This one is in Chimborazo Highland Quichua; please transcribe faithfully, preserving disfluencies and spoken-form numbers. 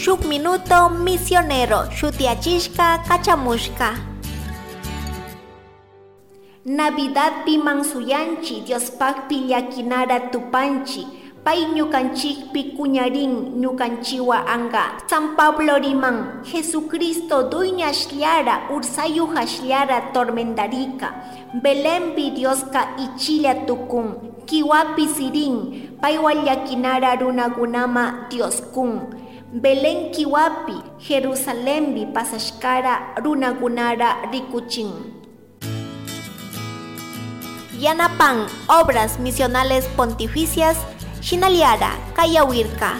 Shuk Minuto Misionero shutiyachishka kachamushka. Navidadpi mansuyanchi Diospakpi llakinara tupanchi pay ñukanchikpi kuñarin ñukanchiwa anga. San Pablo riman Jesucristo dueñashllara ursayuhashllara tormendarika. Belenpi Dioska ichilla tukun kiwapi sirin paywa llakinara runakunama Dios kun. Belén kiwapi Jerusalembi pasashkara runakunara rikuchin. Yanapan Obras Misionales Pontificias Shinaliara Kayawirka.